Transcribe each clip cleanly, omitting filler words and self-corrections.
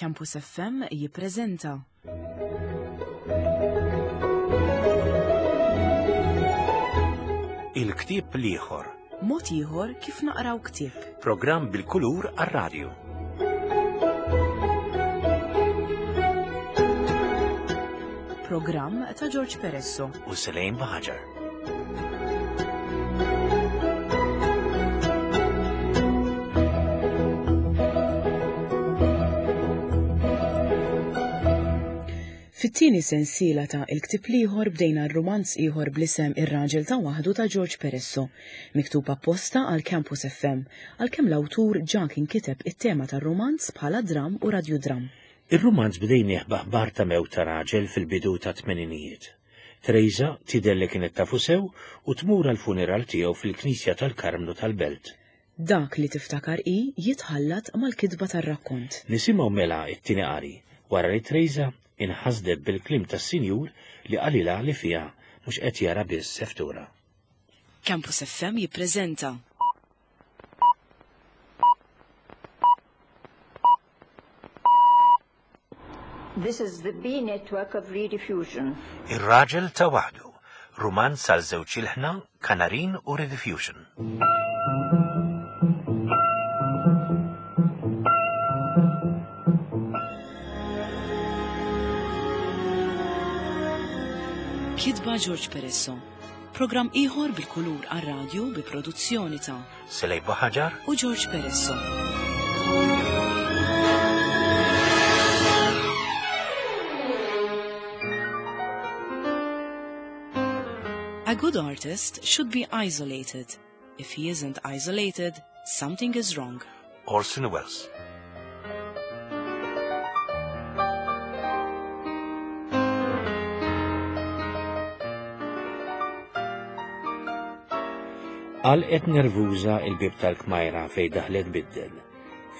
Campus FM jippreżenta. Il-ktieb l-ieħor. Mod ieħor kif naqraw ktieb. Programm bil-kulur għar-radju. Programm ta' George Peresso. U Selejn Baħaġar. Fit-tieni sensiela ta' Il-Ktieb l-Ieħor bdejna r-rumanz ieħor bl-isem Ir-Raġel ta' Waħdu ta' George Peresso, miktub apposta għal Campus FM, għalkemm l-awtur ġa kien kiteb it-tema tar-rumanz bħala dramm u radjudramm. Ir-rumanz bdejnieh b'aħbar ta' mewt ta' raġel fil-bidu tat-tmeninijiet. Teresa tidher li kienet tafu sew u tmur għall-funeral tiegħu fil-Knisja tal-Karmnu tal-Belt. Dak li tiftakar hi jitħallat mal-kitba tar-rakkont. Nisimgħu mela t-tieni qari, wara li Teresa inħasdet bil-kliem tas-Sinjur li qalilha li fiha mhux qed jara biss seftura. Campus FM jippreżenta. This is the B network of Rediffusion. Ir-Raġel ta' Waħdu, rumanz għal żewġ ilħna, Kanarin u Rediffusion. Kitba George Peresso. Programm ieħor bil-kulur għar-radju bi produzzjoni ta' Selej Buħaġar u George Peresso. A good artist should be isolated. If he isn't isolated, something is wrong. Orson Welles. Għalqet nervuża il-bieb tal-kmajra fejn daħlet biddel.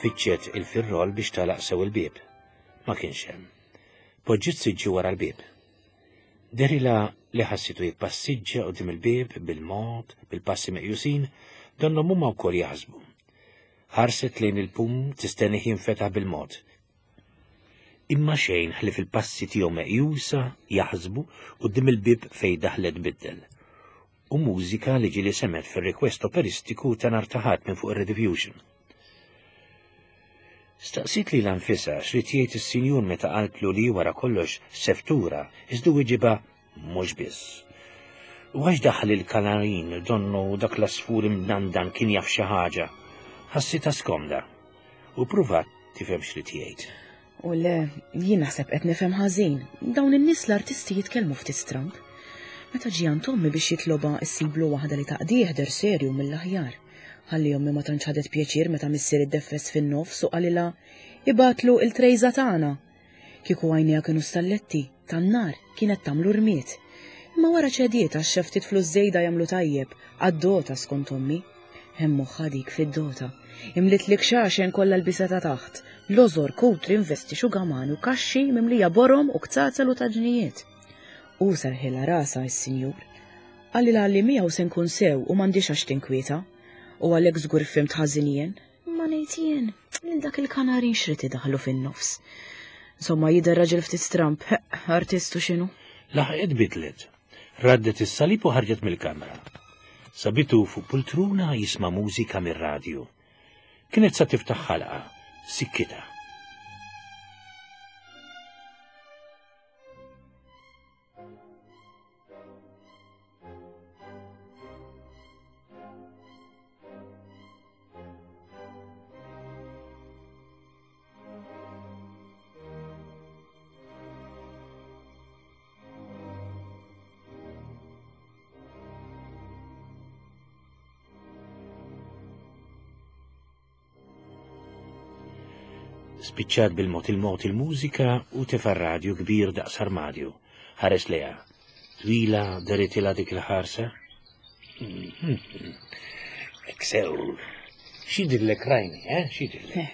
Fittxet il-firrol biex tagħlaq sew il-bieb. Ma kienx hemm. Poġġiet siġġu wara l-bieb. Dehrilha li ħassitu jippassiġġa quddiem il-bieb bil-mod, bil-passi meqjusin, donnhom huma wkoll jaħsbu. Ħarset lejn il-pum tistennih jinfetaħ bil-mod. Imma xejn ħlief il-passi tiegħu meqjusa jaħsbu quddiem il-bieb fejn daħlet tbiddel. U mużika li ġieli semgħet fir-request operistiku ta' nhar ta' Ħadd minn fuq ir-Rediffusion. Staqsiet lilha nfisha x'ried jgħid is-sinjur meta qaltlu li wara kollox seftura iżda wiġibha mhux biss. U għax daħal il-kanarin donnu dak l-għasfur imdandan kien jaf xi ħaġa, ħassitha skomda u ppruvat tifhem x'ried jgħid. U le, jien naħseb qed nifhem ħażin. Dawn in-nies l-artisti jitkellmu ftit stramb. Meta ġie għand ommi biex jitlobha issiblu waħda li taqdih der serju mill-aħjar. Ħalli ommi ma tantx ħadet pjaċir meta missier iddeffes fin-nofs u qalilha ibgħatlu il-trejża tagħna. Kieku għajnejha kienu stalletti, tan-nar, kienet tagħmlu rmied. Imma wara ċediet għax xi ftit flus żejda jagħmlu tajjeb, għad-dota skont ommi. Hemm moħħha dik fid-dota. Imliet l-ikxaxen kollha l-bisa ta' taħt, lożor, kutri, investi, xugamani u kaxxi mimlija borom u kzazel u taġnijiet. U serħilha rasha s-sinjur. Qalilha li miegħu se nkun sew u m'għandhiex għax tinkwieta. U għalhekk żgur fhimt ħażin jien. Imma ngħid jien, lil dak il-kanarin x'rid idaħħlu fin-nofs. Insomma, jidher raġel ftit stramb, heq, artist u x'inhu. Laħqet bidlet. Raddet is-salib u ħarġet mill-kamra. Sabitu fuq pultruna jisma' mużika mir-radju. Kienet sa tiftaħ ħalqa, sikkitha. Spiċċat bil-mod il-mod il-mużika u tefa' radju kbir daqs armadju. Ħares lejha. Twila deritilha dik il-ħarsa. Eksew. X'jidhirlek rajni, eh? X'jidhirlek? Eh,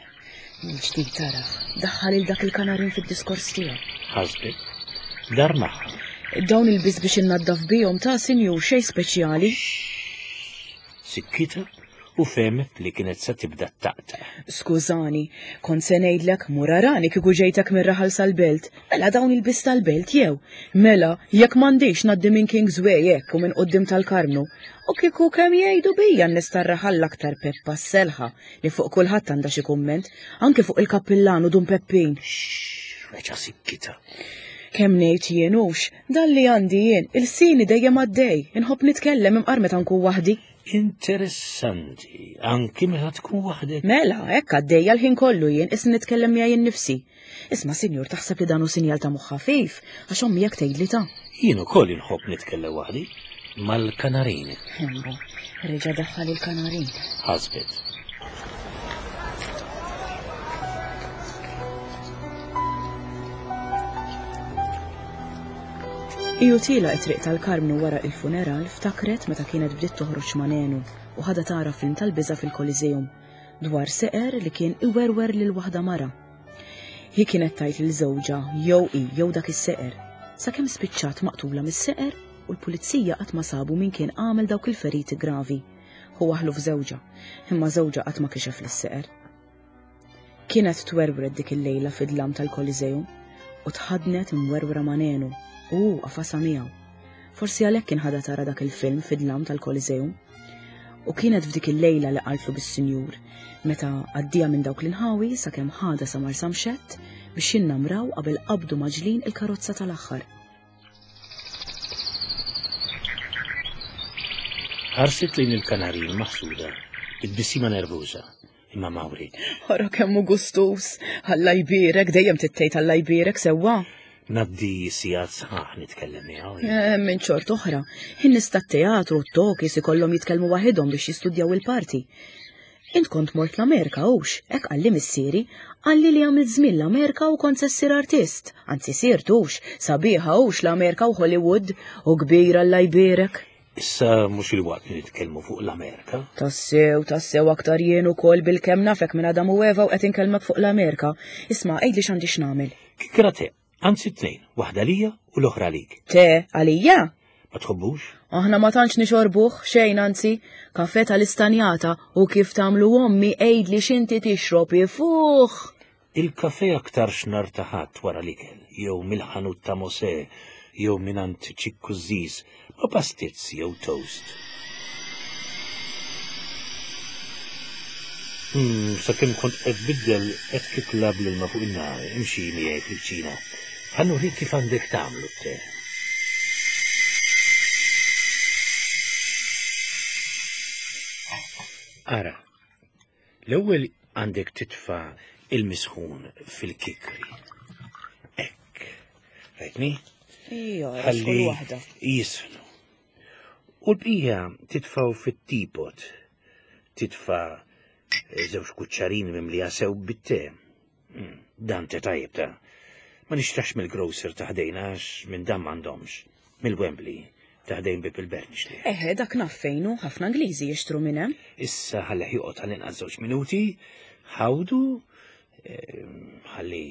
mill-ġdid tara, daħħal il dak il-kanarin fid-diskors tiegħu. Ħasbet. Dar magħha. Dawn il-biss biex innaddaf bihom ta' sinjur xejn speċjali. Sikkita. U fehmet li kienet se tibda ttaqtaq. Skużani, kont se ngħidlek mur arani kieku ġejtek mir-raħal sal-belt. Mela dawn il-biss tal-belt jew? Mela, jekk m'għandix ngħaddi minn Kings Way hekk u minn quddiem tal-Karmnu. U kieku kemm jgħidu bija n-nies tar-raħal l-aktar Peppa s-selħa li fuq kulħadd għandha xi kumment, anke fuq il-kappillan u Dun Peppin. Xxx, reġa' sikkitha. Kemm ngħid jien hux, dan li għandi jien, ilsieni dejjem għaddej, inħobb nitkellem imqar meta nkun waħdi. Interessanti, anki meta tkun waħdek. Mela, hekk għaddejja l-ħin kollu jien isni nitkellem miegħi nnifsi. Isma' sinjur taħseb li dan hu sinjal ta' moħħ ħafif, għax ommi hekk tgħidli ta'. Jien ukoll inħobb nitkellem waħdi mal-kanarin. Hembu, reġa' daħħal il-kanarin. Ħasbet. Hi u tiela' it-triq tal-Karmnu wara il-funeral ftakret meta kienet bdiet toħroġ ma' Nenu u ħadha tara film tal-biża' fil-Coliseum dwar seqer li kien iwerwer lil waħda mara. Hi kienet tgħid lil żewġha jew hi jew dak is-seqer, sakemm spiċċat maqtula mis-seqer u l-pulizija qatt ma sabu min kien għamel dawk il-feriti gravi. Hu waħħlu f'żewġha, imma żewġha qatt ma kixef lis-seqer. Kienet twerwret dik il-lejla fid-dlam tal-Coliseum u tħaddnet imwerwra ma' Nenu u hu qafasha miegħu. Forsi għalhekk kien ħadha tara dak il-film fid-dlam tal-Coliseum. U kienet f'dik il-lejla li qaltlu bis-Sinjur meta għaddieha minn dawk l-inħawi sakemm ħadha sa Marsamxett biex jinnamraw qabel qabdu mgħaġġlin il-karozza tal-aħħar. Ħarset lejn il-kanarin maħsuda, bit-tbissima nervuża. Imma ma wrietx. Ara kemm hu gustuż! Alla jbierek, dejjem trid tgħid Alla jbierek sewwa. Ngħaddi sigħat sħaħ nitkellem miegħu. Eh, minn xort oħra, in-nies tat-teatru u t-tokis ikollhom jitkellmu waħidhom biex jistudjaw il-parti. Int kont mort l-Amerika hux, hekk qalli missieri, qalli li għamilt żmien l-Amerika u kont se ssir artist. Anzi sirt hux, sabiħa hux l-Amerika u Hollywood u kbir Alla jbierek. Issa mhux il-waqt li nitkellmu fuq l-Amerika. Tassew, tassew aktar jien ukoll bil-kemm nafek minn Adam u Eva u qed inkellmek fuq l-Amerika. Isma' għidli x'għandi x'nagħmel. Kikra te, anzi tnejn, waħda lija u l-oħra għalik. Te, għalija? Ma tħobbux? Aħna ma tantx nixorbuh, xejn anzi, kafe tal-istanjata u kif tagħmlu ommi għidli x'inti tixrob ifuħ. Il-kafè aktarx nhar ta' Ħadd wara l-ikel, jew mill-ħanut ta' Mosè, jew mingħand Ċikku z-Ziz, ma' pastizz jew toast. Umm, sakemm kont qed tbiddel qed titla' bl-ilma fuq in-nar, imxi miegħi fil-kċina. Ħa nurik kif għandek tagħmlu t-te. Ara, L-ewwel għandek titfa' il-misħun fil-kikri. Hekk. Rajtni? Ija, Ħalli waħda. jisħnu. U l-bqija titfgħu fit-teapot. Titfa' żewġ kuċċarini mimlija sew bit-te. Hmm, dan te tajjeb ta' ma nixtrax mill-grocer ta' ħdejna għax minn dan m'għandhomx. Mill-Wembley ta' ħdejn bib il-Bert nixtrih. Eħe, dak naf fejn hu, ħafna Ingliżi jixtru minn hemm. Issa ħallih joqgħod għall-inqas żewġ minuti, ħawdu, ehm, ħalli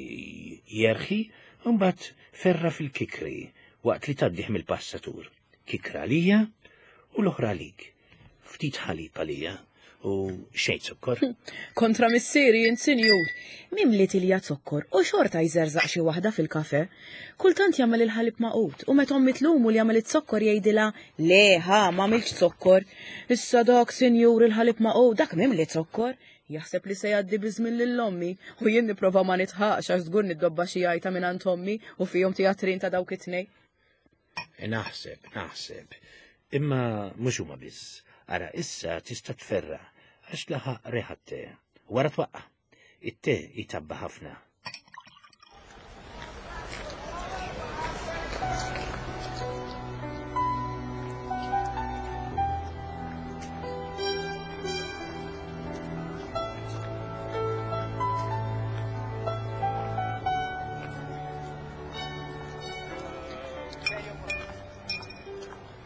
jerħi, u mbagħad ferra fil-kikri waqt li tgħaddih mill-passatur. Kikra għalija u l-oħra għalik. Ftit ħalib għalija u xejn zokkor. Kontra missieri int sinjur. Mimli tilja zokkor u xorta jżerżaq xi waħda fil-kafe. Kultant jagħmel il-ħalib magħqud u meta ommi tlumu li għamel iz-zokkor jgħidilha le ħa m'għamiltx zokkor. Issa dak sinjur il-ħalib magħqud dak mimli zokkor. Jaħseb li se jgħaddi biż-żmien lil ommi u jien nipprova ma nidħaqx għax żgur niddobba xi għajta mingħand ommi u fihom tijatrin ta' dawk it-tnejn. Naħseb, naħseb. Imma mhux huma biss. Ara issa tista' tferra għax laħaq reħa te. Wara twaqqa. It-te jtabba ħafna.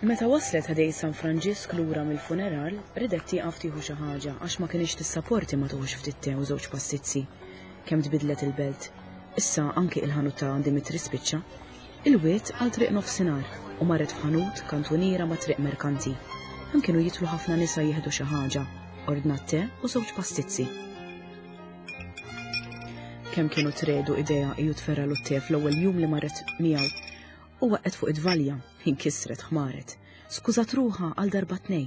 Meta waslet ħdej San Franġisk lura mill-funeral, ridet tieqaf tieħu xi ħaġa għax ma kinitx tissaporti ma tuħux ftit te u żewġ pastizzi. Kemm tbidlet il-belt. Issa anki il-ħanut ta' Dimitri spiċċa. Il-wied għal triq nofsinhar u marret f'ħanut kantuniera ma' triq merkanti. Hemm kienu jidħlu ħafna nisa jieħdu xi ħaġa. Ordnat te u żewġ pastizzi. Kemm kienu tredu idea iju tferralu t-te fl-ewwel jum li marret miegħu u waqgħet fuq id-dvalja, inkisret ħmaret. Skużat ruħha għal darba tnej.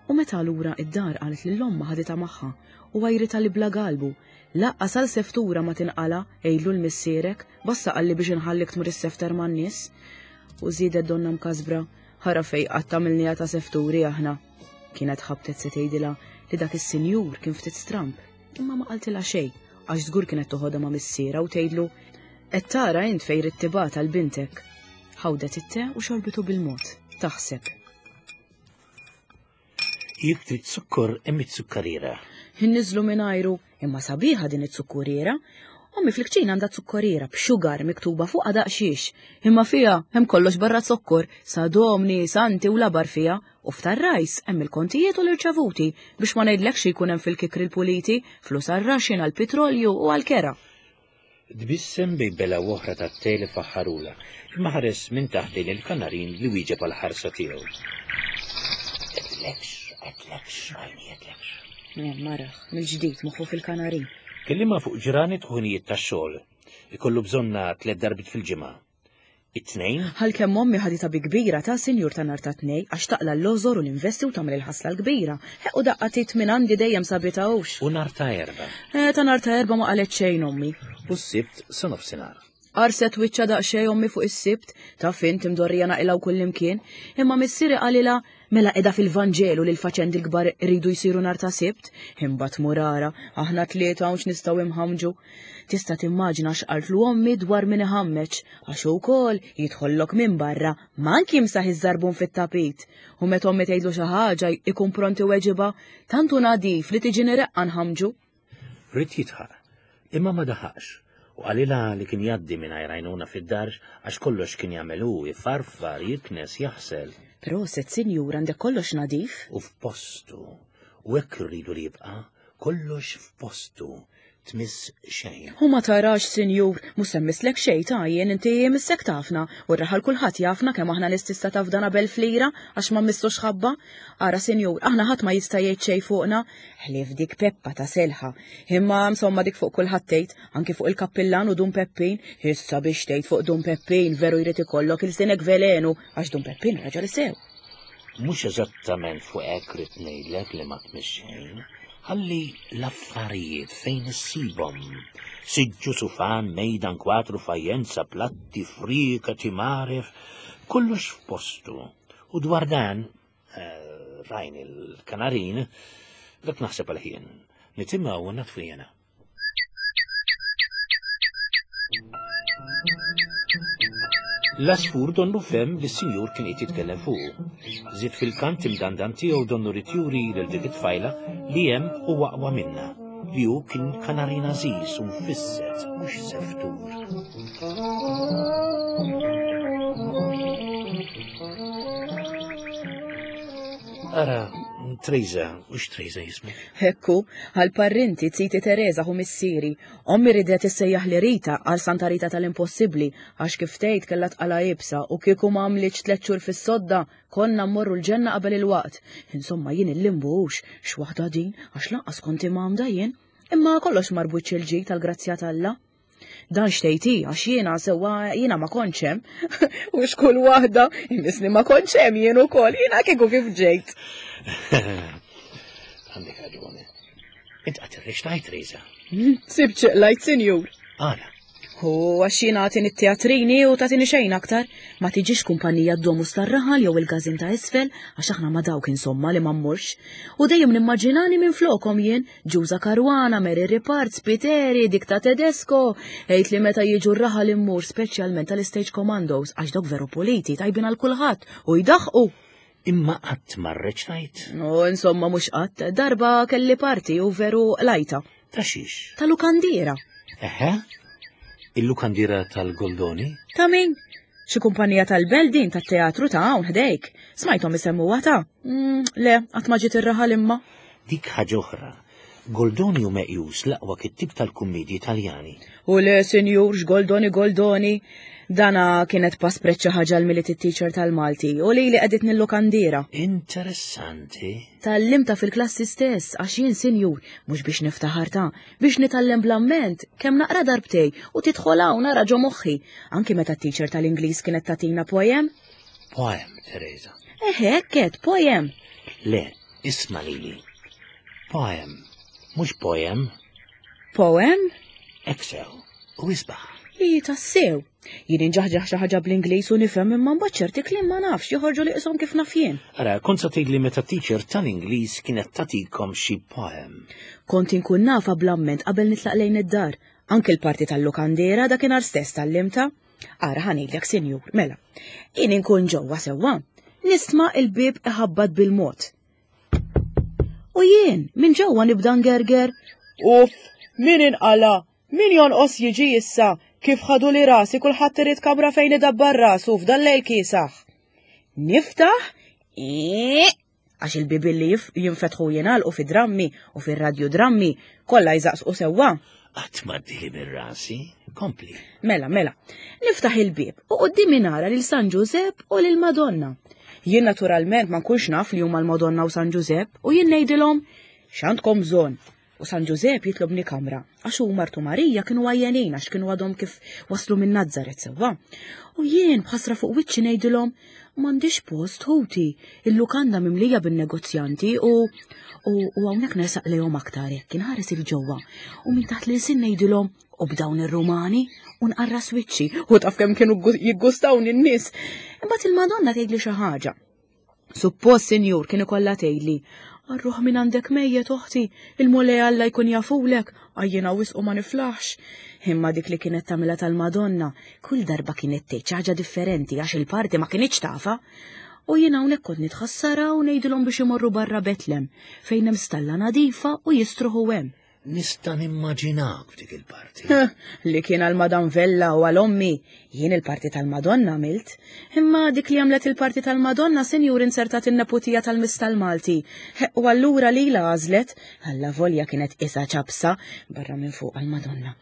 U meta lura id-dar qalet lil ommha ħaditha magħha u għajritha li bla galbu. Laqqas għal seftura ma tinqala, għidlu 'l missierek, basta qalli biex inħallik tmur issefter man-nies. U żiedet donna mkasbra, ħara fejn qatt għamilniha ta' sefturi aħna. Kienet ħabtet se tgħidilha li dak is-sinjur kien ftit stramb, imma ma qaltilha xejn għax żgur kienet toħodha ma' missierha u tgħidlu qed tara int fejn ridt tibgħat għal bintek. Ħawdet it-te u xorbitu bil-mod, taħseb. Jekk trid zukkor hemm it-zukkariera. Inniżlu mingħajru, imma sabiħa din it-zukkuriera. Ommi fil-kċina għandha zukkoriera b'xugar miktuba fuqha daqsxiex, imma fiha hemm kollox barra zokkor, sadomni, santi u labar fiha, u f'tar-rajs hemm il-kontijiet u l-irċevuti biex ma ngħidlekx xi jkun hemm fil-kikri l-puliti, flus għar-raxin, għall-pitrolju u għall-kera. Tbissem bejn belgħa u oħra tat-te li faħħarulha, imma ħares minn taħt lejn il-kanarin li wieġeb għall-ħarsa tiegħu. Għedtlekx, għedtlekx, għajni għedtlekx. Maraħ, mill-ġdid moħħu fil-kanarin. Kellimha fuq ġranet u ħinijiet tax-xogħol. Ikollu bżonnha tliet darbiet fil-ġimgħa. It-Tnejn? Għalkemm ommi ħaditha bi kbira ta' sinjur ta' nhar ta' Tnejn għax taqla' l-lożor u l-investi u tagħmel il-ħasla l-kbira. Ħeqq u daqqa t'id minn għandi dejjem sabitha hux. U nhar ta' Erbgħa? Eh, ta' nhar ta' Erbgħa ma qalet xejn ommi. U s-Sibt sa nofsinhar. Qarset wiċċha daqsxejn ommi fuq is-Sibt, taf int imdorrija naqilgħu kullimkien, imma missieri qalilha Mela qiegħda fil-Vanġelu li l-faċendi l-kbar iridu jsiru nhar ta' Sibt? Imbagħad mur ara, aħna tlieta hawn x'nistgħu imħammġu. Tista' timmaġina x'qaltlu ommi dwar min iħammeġ, għax hu wkoll jidħollok minn barra, mank jimsaħ iż-żarbun fit-tapit. U meta ommi tgħidlu xi ħaġa jkun pront iweġibha, tant hu nadif li tiġini reqqa nħammġu. Ried jidħaq, imma ma daħaqx, u qalilha li kien jgħaddi mingħajr għajnuna fid-dar għax kollox kien jagħmel hu, ifarfar, jiknes, jaħsel. Proset, sinjur, għandek kollox nadif. U f'postu. U hekk irridu li jibqa', kollox f'postu, tmiss xejn. U ma tarax, sinjur, mhux se mmisslek xejn ta' jien, inti missek tafna, u r-raħal kulħadd jafna kemm aħna nies tista' tafdana b'elf lira għax ma mmissux ħabba. Ara, sinjur, aħna ħadd ma jista' jgħid xejn fuqna, Ħlief dik Peppa ta' Selħa. Imma insomma dik fuq kulħadd tgħid, anki fuq il-kappillan u Dun Peppin. Issa biex tgħid fuq Dun Peppin veru jrid ikollok ilsinek velenu għax Dun Peppin raġel sew. Mhux eżattament fuq hekk ridt ngħidlek li ma tmiss xejn. Ħalli l-affarijiet fejn issibhom. Siġġu, sufan, mejda, nkwatru, fajjenza, platti, frieka, timaref, kollox f'postu. U dwar dan, Eh, rajn il-kanarin, dak naħseb għal-ħin. Nitimgħu u natfu jena. L-asfur donnu fem li s-sinjur kien qed jitkellem fuqu. Żied fil-kant imdandan tiegħu donnu rid juri lil dik it-tfajla li hemm u aqwa minna, li hu kien kanarin għażiż u mfisset mhux seftur. Ara, Trejza, mhux Trejza jismu. Hekku, għal parrinti ziti Teresa hu missieri. Ommi ridet issejjaħ li Rita għal Santa Rita tal-impossibbli għax kif tgħid kellha tqala iebsa u kieku ma għamlitx tliet xhur fis-sodda konna mmorru l-ġenna qabel il-waqt. Insomma jien il-limbu hux x'waħda din għax lanqas kont imgħammda jien. Imma kollox mar b'wiċċ il-ġid tal-grazzja t'Alla. Dan xtejt hi, għax jiena sewwa jiena ma kontx hemm. U x'kull waħda, imisni ma kontx hemm jien ukoll, jiena kieku kif ġejt. Għandek raġuni. Int qatt irrextajt, Reza. Sib ċeqlajt, sinjur. Għala. U għax jiena għatini t-teatrini u tagħtini xejn aktar. Ma tiġix kumpanija d-domus tar-raħal jew il-gazin ta' isfel, għax aħna ma dawk insomma li ma mmurx. U dejjem nimmaġinani minn flokom jien, Ġuża Caruana, Mary Ripart, Spiteri, dik ta' Tedesco. Għid li meta jiġu r-raħal immur speċjalment tal-Stage Commandos għax dawk veru puliti tajbin għal kulħadd u jdaħqu. Imma qatt ma rreċtajt? U insomma mhux qatt, darba kelli parti u veru lajta. Ta' xiex? Ta' lukandiera. Eħe? Il-lukandiera tal-Goldoni? Ta' min? Xi kumpanija tal-belt din tat-teatru ta' hawn ħdejk. Smajthom isemmuha ta'. Mm, le, qatt ma ġiet ir-raħal imma. Dik ħaġa oħra. Goldoni hu meqjus l-aqwa kittieb tal-kummiedji Taljani. U le, sinjur, x'Goldoni Goldoni. Dana kienet paspret xi ħaġa l-Milied it-teacher tal-Malti u lili qegħditni l-lukandiera. Interessanti. Tgħallimtha fil-klassi stess għax jien sinjur, mhux biex niftaħar ta, biex nitgħallem bl-amment, kemm naqra darbtej u tidħol hawn ara ġo moħħi. Anki meta t-teacher tal-Ingliż kienet tagħtina poem. Poem, Teresa. Eħe, hekk għedt, poem. Le, isma' lili. Poem, mhux poem. Poem? Hekk sew, u isbaħ. Hi tassew. Jien inġaħġaħ xi ħaġa bl-Ingliż u nifhem imma mbagħad ċerti kliem ma nafx joħorġu li qishom kif naf jien. Ara, kont se tgħidli meta teacher tal-Ingliż kienet tagħtikom xi poem. Kont inkun nafha bl-amment qabel nitlaq lejn id-dar. Anki l-parti tal-lukandiera dakinhar stess tgħallimtha. Ara ħa ngħidlek sinjur, mela. Jien inkun ġewwa sewwa. Nisma' il-bieb iħabbat bil-mod. U jien, minn ġewwa nibda ngerger. Uff, min inqala? Min jonqos jiġi issa? Kif ħaduli rasi kulħadd irid kamra fejn idabbar rasu f'dan lejl kiesaħ. Niftaħ, għax il-bibien li jinfetħu jingħalqu fid-drammi u fir-radjudrammi kollha jżaqsqu sewwa. Qatt m'għaddieli minn rasi, kompli. Mela, mela, niftaħ il-bieb u quddiemi nara lil San Ġużepp u lil Madonna. Jien naturalment ma nkunx naf li huma l-Madonna u San Ġużepp u jien ngħidilhom x'għandkom bżonn. U San Ġużepp jitlobni kamra, għax hu martu Marija kienu għajjenin għax kienu għadhom kif waslu minn Nazzaret sewwa. U jien b'ħasra fuq wiċċi ngħidilhom m'għandix post ħuti, il-lukanda mimlija bin-negozjanti u u u hawnhekk nersaq lejhom aktar hekk inħares il ġewwa u minn taħt l-ilsien ngħidilhom u b'dawn ir-Rumani u nqarras wiċċi u taf kemm kienu jiggustawni n-nies. Imbagħad il-Madonna tgħidli xi ħaġa. Suppost, sinjur, kien ikollha tgħidli, Għar-ruħ minn għandek mejjet, oħti, il-Mulej Alla jkun jafulek, għajjiena wisq u ma niflaħx. Imma dik li kienet tagħmilha tal-Madonna, kull darba kienet tgħid xi ħaġa differenti għax il-parti ma kinitx tafha. U jien hawnhekk kont nitħassarha u ngħidilhom biex imorru barra Betlem, fejn hemm stalla nadifa u jistruħu hemm. Nista' nimmaġinak f'dik il-parti. Li kien għal Madam Vella u għal ommi, jien il-parti tal-Madonna għamilt. Imma dik li għamlet il-parti tal-Madonna, sinjur insertat in-neputija tal-Miss tal-Malti. U allura lilha għażlet, alla volja kienet qisha ċapsa barra minn fuq għall-Madonna.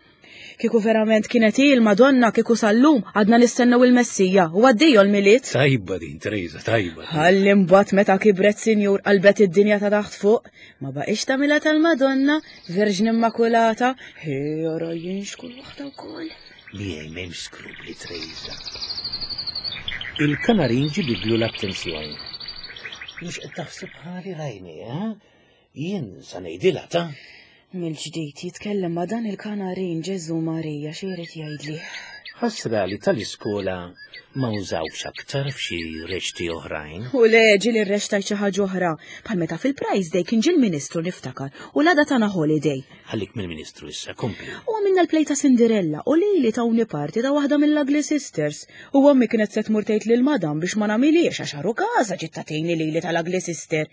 Kieku verament kienet hi l-Madonna kieku sal-lum għadna nistennew il-Messija u għaddejjo l-Milied. Tajba din, Teresa, tajba. Ħalli mbagħad meta kibret sinjur qalbet id-dinja ta' taħt fuq, ma baqgħix tagħmilha tal-Madonna, Verġni Immakulata, hi ara jien xkull waħda wkoll. Miegħi m'hemmx skrupli, Teresa. Il-kanarin ġibidlu l-attenzjoni. Mhux qed taħseb ħali rajni, eh? Jien sa ngħidilha ta'. Mill-ġdid jitkellem ma' dan il-kanarin Ġeżu Marija xi jrid jgħidli. Ħasra li tal-iskola ma użawx aktar f'xi reċti oħrajn. U le ġieli rreċtajt xi ħaġa oħra, bħal meta fil-Prize Day kien ġie l-Ministru niftakar u l-għada tana holiday. Ħallik mill-Ministru issa, kompli. U għamilna l-play ta' Cinderella u lili tawni parti ta' waħda mill-Ugly Sisters. U ommi kienet se tmur tgħid lil madam biex ma nagħmilhiex għax għarukaża ġiet tagħtini lili tal-Ugly Sister.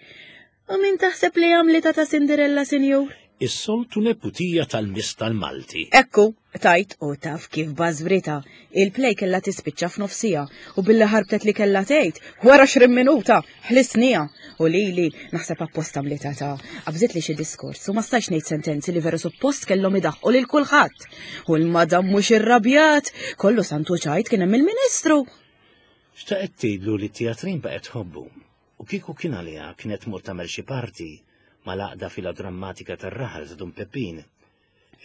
U min taħseb li għamlitha ta' Cinderella, sinjur? Is-soltu neputija tal-Miss tal-Malti. Ekku, tajt u taf kif bażwritha. Il-play kellha tispiċċa f'nofs siegħa u billi ħarbtet li kellha tgħid, wara 20 minuta, ħlisniha. U lili, naħseb apposta għamlitha ta' qabżitli xi diskors u ma stajtx ngħid sentenzi li veru suppost kellhom idaħħqu lil kulħadd. U l-madam mhux irrabjat, kollu santu ċajt kien hemm il-Ministru. Xtaqet tgħidlu li t-teatrin baqgħet tħobbu. U kieku kien għaliha kienet tmur tagħmel xi parti mal-għaqda filodrammatika tar-raħal ta' Dun Peppin.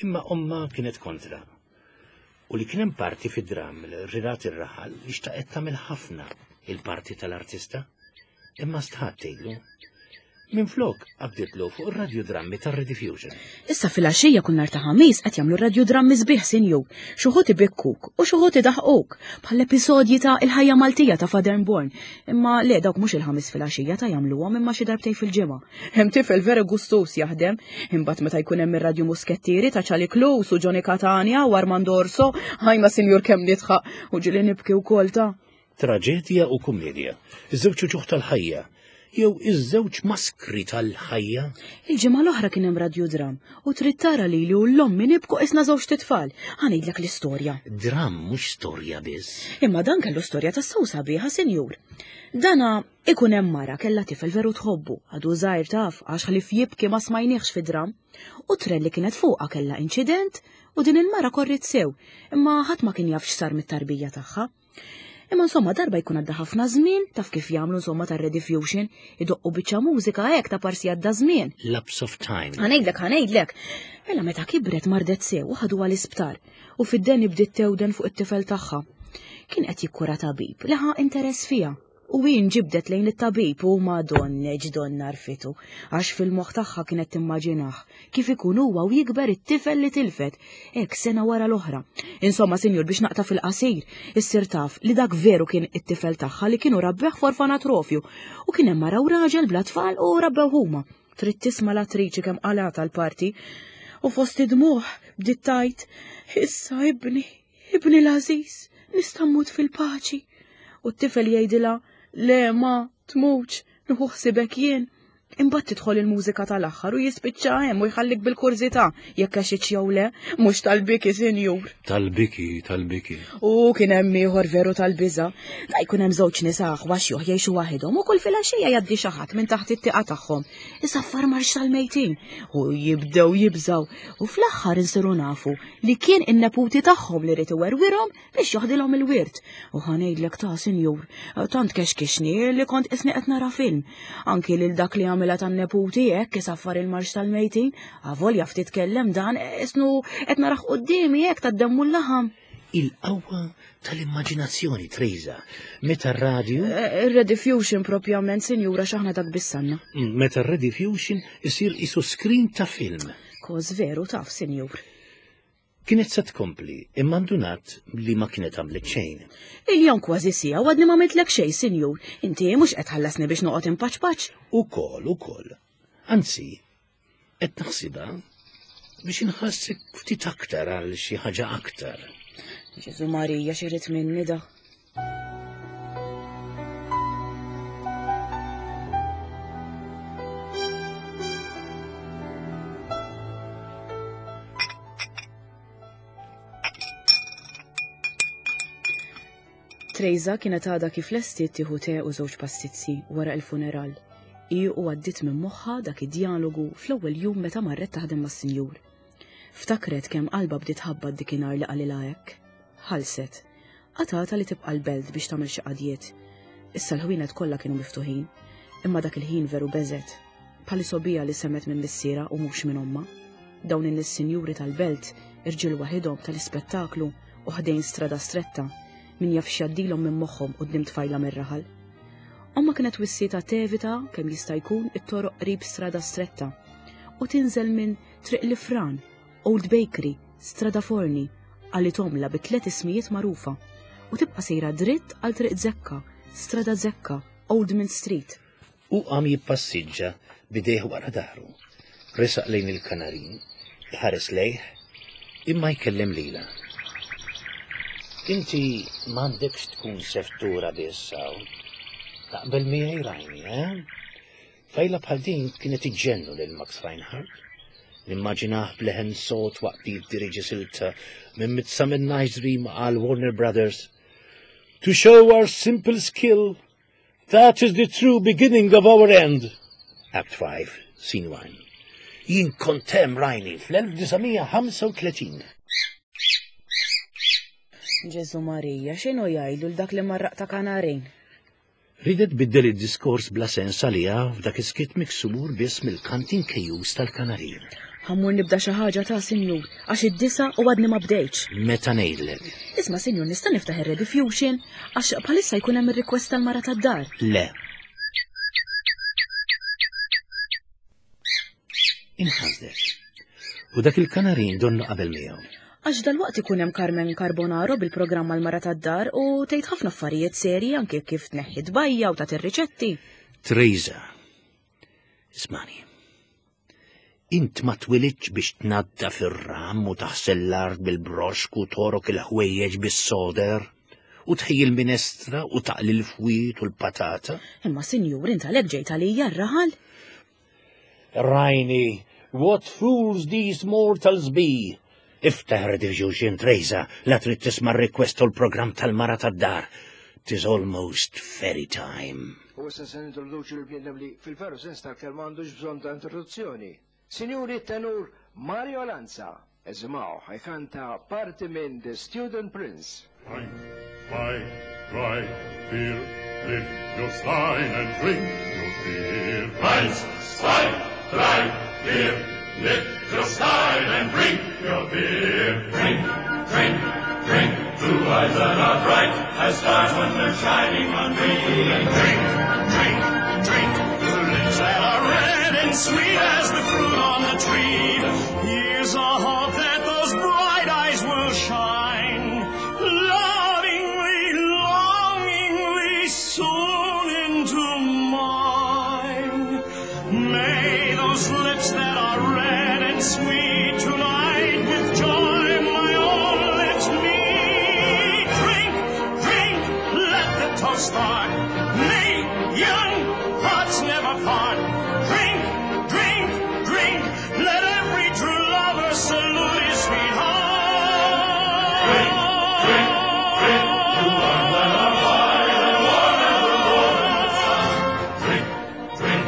Imma ommha kienet kontra. U li kien hemm parti fid-dramm li rirat ir-raħal li xtaqet tagħmel ħafna il-parti tal-artista. Imma stħat tgħidlu. Minflok qabditlu fuq ir-radjudrammi tar-Rediffusion. Issa filgħaxija kull nhar ta' Ħamis qed jagħmlu radjudrammi sbieħ sinjur. X'uħud ibikkuk u x'uħud idaħquk, bħall-episodji ta' Il-Ħajja Maltija ta' Father Born. Imma le dawk mhux il-Ħamis filgħaxija ta' jagħmluhom imma xi darbtejn fil-ġimgħa. Hemm tifel veru gustuż jaħdem. Imbagħad meta jkun hemm ir-Radju Muskettieri ta' Charlie Klus u Johnny Catania u Armando Orso, ħajma sinjur kemm nidħaq u ġieli nibki wkoll ta'. Traġedja u kummedja, iż-żewġ uċuħ tal-ħajja. Jew iż-żewġ maskri tal-ħajja. Il-ġimgħa l-oħra kien hemm radjudram u trid tara lili u l-ommi nibku qisna żewġt itfal. Ħa ngħidlek l-istorja. Dram mhux storja biss. Imma dan kellu storja tassew sabiħa, sinjur. Dana ikun hemm mara kellha tifel veru tħobbu, għadu żgħir taf għax ħlief jibki ma smajniehx fid-dram. U tren li kienet fuqha kellha inċident u din il-mara korriet sew, imma ħadd ma kien jaf x'sar mit-tarbija tagħha. Imma insomma darba jkun għadda ħafna żmien, taf kif jagħmlu insomma tar-rediffusion, idoqqu biċċa mużika hekk ta' parsi għadda żmien. Lapse of time. Ħanejdlek, ħanejdlek. Mela meta kibret mardet sew u ħaduha l-isptar u fid-deni bdiet tewden fuq it-tifel tagħha. Kien qed jikkura tabib li ħa interess fiha. U hi nġibdet lejn it-tabib u madonneġ donna rfitu, għax fil-moħħ tagħha kienet timmaġinah kif ikun huwa u jikber it-tifel li tilfet, hekk sena wara l-oħra. Insomma, sinjur, biex naqta' fil-qasir, issir taf li dak veru kien it-tifel tagħha li kienu rabbeh f'orfanatrofju u kien hemm mara u raġel bla tfal u rabbew huma. Trid tisma' l-attriċi kemm qalgħatha l-parti. U fost id-dmugħ bdiet tgħid, Issa ibni, Ibni l-għażiż, nista' mmut fil-paċi. U t-tifel jgħidilha, le ma, tmutx, nieħu ħsibek jien. Imbagħad tidħol il-mużika tal-aħħar u jispiċċa hemm u jħallik bil-kurżità jekk għexitx jew le, mhux tal-biki, sinjur. Tal-biki, tal-biki. U kien hemm ieħor veru tal-biża'. Da jkun hemm żewġ nisa aħwa xjuħ jgħixu waħedhom u kull filgħaxija jgħaddi xi ħadd minn taħt it-tieqa tagħhom. Isaffar marx tal-mejtin u jibdew jibżgħu u fl-aħħar insiru nafu li kien in-neputi tagħhom li ried iwerwirhom biex joħdilhom il-wirt. U ħa ngħidlek ta' sinjur, tant kexkixni li kont qisni qed nara film. Anki lil dak li għamilha tan-neputi hekk isaffar il-marx tal-mejtin, avolja ftit kellem dan isnu qed narah quddiemi hekk tad-demm u l-laħam. Il-qawwa tal-immaġinazzjoni, Trejza, meta r-radju. Eh, Ir-rediffusion propjament, sinjura, x'aħna dak bissanna. Meta r-rediffusion isir isu screen ta' film. Koż veru taf, sinjur. Kienet se tkompli, imma ndunat li ma kienet għamlet xejn. Il-jom kważi siegħa u għadni ma għamiltlek xejn, sinjur. Inti mhux qed tħallasni biex noqgħod inpaċpaċ. Ukoll, ukoll. Anzi, qed naħsibha biex inħassik ftit aktar għal xi ħaġa aktar. Ġesu Marija x'irid minni da. Trejza kienet għadha kif lestiet tieħu te u żewġ pastizzi wara il-funeral. Hi u għaddiet minn moħħha dak id-djalogu fl-ewwel jum meta marret taħdem mas-sinjur. Ftakret kemm qalbha bdiet tħabbat dikinhar li qalilha hekk. Ħallset. Qatgħatha li tibqa' l-belt biex tagħmel xi qadjiet. Issa l-ħwienet kollha kienu miftuħin. Imma dak il-ħin veru beżgħet. Bħal isobija li semgħet minn missierha u mhux minn ommha. Dawn in-nies sinjuri tal-belt, irġiel waħidhom tal-ispettaklu u ħdejn strada stretta, min jaf x'jgħaddilhom minn moħħhom quddiem tfajla mir-raħal. Ommha kienet wissietha tevita kemm jista' jkun it-toroq qrib strada stretta u tinżel minn Triq l-Ifran, Old Bakery, Strada Forni, qalithomlha bi tliet ismijiet magħrufa, u tibqa' sejra dritt għal Triq Zekka, Strada Zekka, Old Mint Street. Hu qam jippassiġġa b'idejh wara dahru. Resaq lejn il-kanarin, iħares lejh, imma jkellem lilha. Inti m'għandekx tkun seftura biss hawn. Taqbel miegħi rajni, eh? Tfajla bħal din kienet iġġennu lil Max Reinhardt. Nimmaġinah b'leħen sod waqt li jiddiriġi silta minn Midsummer Night's Dream għal Warner Brothers. To show our simple skill, that is the true beginning of our end. Act 5, Scene 1. Jien kont hemm rajni fl-1935. Ġesu Marija, x'inhu jgħidlu l dak li marraq ta' kanarin? Riedet tbiddel id-diskors bla sens għaliha f'dak is-skiet miksur biss mill-kant inkejjuż tal-kanarin. Ħa mmur nibda xi ħaġa ta' sinjur, għax id-disgħa u għadni ma bdejtx. Meta ngħidlek. Isma' sinjur nista' niftaħ ir-Rediffusion għax bħalissa jkun hemm ir-request tal-mara tad-dar. Le. Inħasdet. U dak il-kanarin donnu qabel miegħu. Għax dalwaqt ikun hemm Carmen Carbonaro bil-programm Għall-Mara tad-Dar u tgħid ħafna affarijiet serji anke kif tneħħi tbajja u tagħti r-riċetti. Teresa, ismani. Int ma twilidx biex tnaddaf ir-ram u taħsel l-art bil-broxk u torok il-ħwejjeġ bis-soder. U tħejji l-minestra u taqli l-fwiet u l-patata. Imma sinjur int għalhekk ġejt għalija r-raħal? Rajni, what fools these mortals be! Iftaħ Rediffusion Trejza la trid tisma' r-request u l-programm tal-mara tad-dar. Tis almost ferry time. U issa se nintroduċi l-bniedem li fil-veru sens tal-kelma għandux bżonn ta' introduzzjoni. Sinjuri tenur Mario Lanza, eżimaw ħajkanta parti minn The Student Prince. Ein, zwei, drei, vier, lift your stein and drink your beer. Eins, zwei, drei, vier, lift your stein and drink your beer. Drink, drink, drink, two eyes that are bright as stars when they're shining on me. And drink, drink, drink, two lips that are red and sweet as the fruit on the tree. Here's a hope that those bright eyes will shine, lovingly, longingly, soon into mine. May those lips that are red and sweet tonight with joy my own lips meet. Drink, drink, let the toast start. May young hearts never part. Drink, drink, drink, let every true lover salute his sweetheart. Drink, drink, drink, you are that are wide and warm as the morning sun. Drink, drink,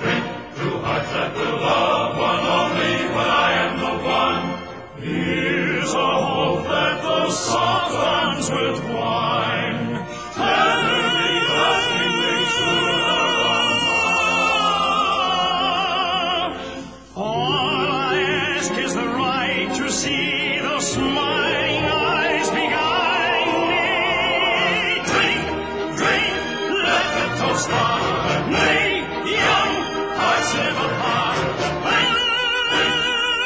drink, two hearts that will love one only when I am the one. Here's a hope that those soft arms will twine, tenderly clasping they soon are All I ask is the right to see those smiling eyes beguile me. Drink, drink, let the toast start. May young hearts never part. Drink, drink,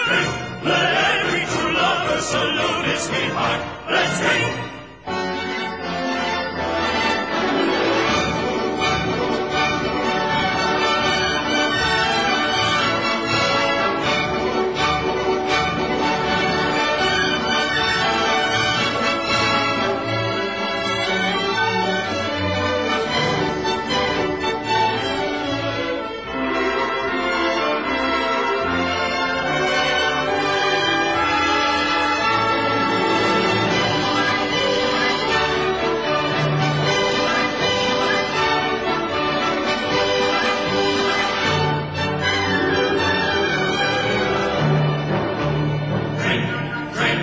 drink, let every true lover salute his sweetheart. Let's drink. Drink, drink,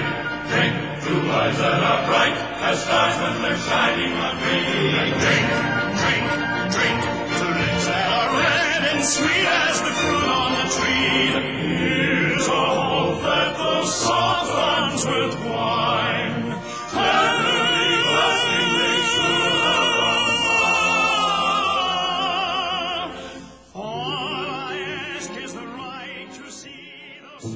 drink, two eyes that are bright as stars when they're shining on me. Drink, drink, drink, two lips that are red and sweet as the fruit on the tree. Here's a hope that those soft arms will twine, tenderly clasping they soon are All I ask is the right to see those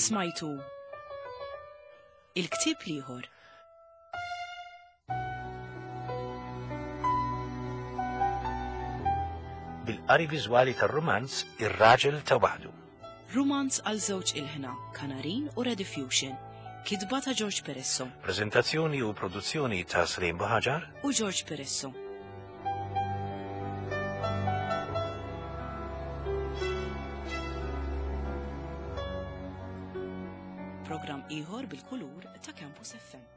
Smajtu Il-ktieb l-ieħor. Bil-qari viżwali tar-rumanz Ir-Raġel ta' Waħdu. Rumanz għal żewġ ilħna, Kanarin u Rediffusion. Kitba ta' George Peresso. Preżentazzjoni u produzzjoni ta' Slim Buħaġar u George Peresso. Programm ieħor bil-kulur ta' Campus FM.